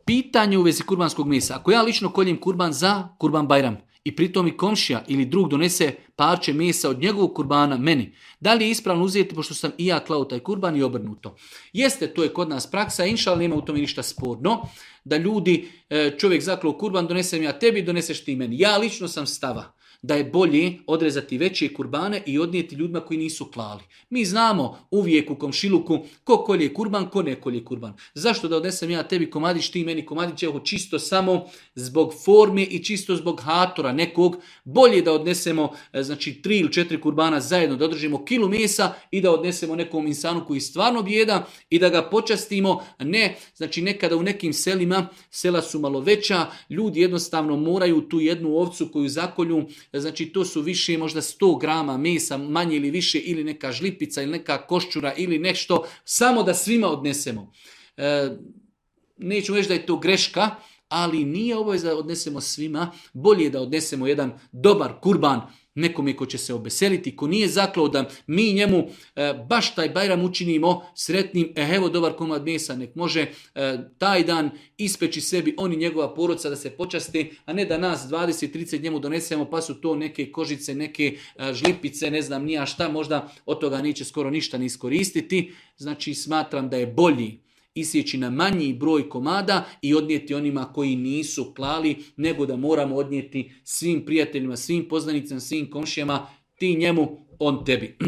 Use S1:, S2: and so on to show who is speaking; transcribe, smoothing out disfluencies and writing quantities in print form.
S1: Pitanje u vezi kurbanskog mesa. Ako ja lično koljem kurban za kurban Bajram i pritom mi komšija ili drug donese parče mesa od njegovog kurbana meni, da li je ispravno uzeti pošto sam i ja klao taj kurban i obrnuto? Jeste, to je kod nas praksa, inšal nema u tome ništa sporno, da ljudi, čovjek zaklao kurban, donesem ja tebi, doneseš ti meni. Ja lično sam stava da je bolje odrezati veće kurbane i odnijeti ljudima koji nisu klali. Mi znamo uvijek u komšiluku ko kolje kurban, ko ne kolje kurban. Zašto da odnesem ja tebi komadić, ti meni komadić, evo čisto samo zbog forme i čisto zbog hatora nekog, bolje da odnesemo znači 3 ili 4 kurbana zajedno, da održimo kilu mesa i da odnesemo nekom insanu koji stvarno bijeda i da ga počastimo. Ne, znači nekada u nekim selima, sela su malo veća, ljudi jednostavno moraju tu jednu ovcu koju zakolju, znači to su više možda 100 grama mesa, manje ili više, ili neka žlipica ili neka koščura ili nešto, samo da svima odnesemo. Neću reći da je to greška, ali nije obaveza da odnesemo svima, bolje je da odnesemo jedan dobar kurban nekome ko će se obeseliti, ko nije zaklao da mi njemu baš taj Bajram učinimo sretnim, evo dobar komad mesa, nek može taj dan ispeći sebi on i njegova porodca da se počaste, a ne da nas 20-30 njemu donesemo pa su to neke kožice, neke žlipice, ne znam nija šta, možda od toga neće skoro ništa ni iskoristiti. Znači smatram da je bolji isjeći na manji broj komada i odnijeti onima koji nisu klali, nego da moramo odnijeti svim prijateljima, svim poznanicama, svim komšijama, ti njemu, on tebi.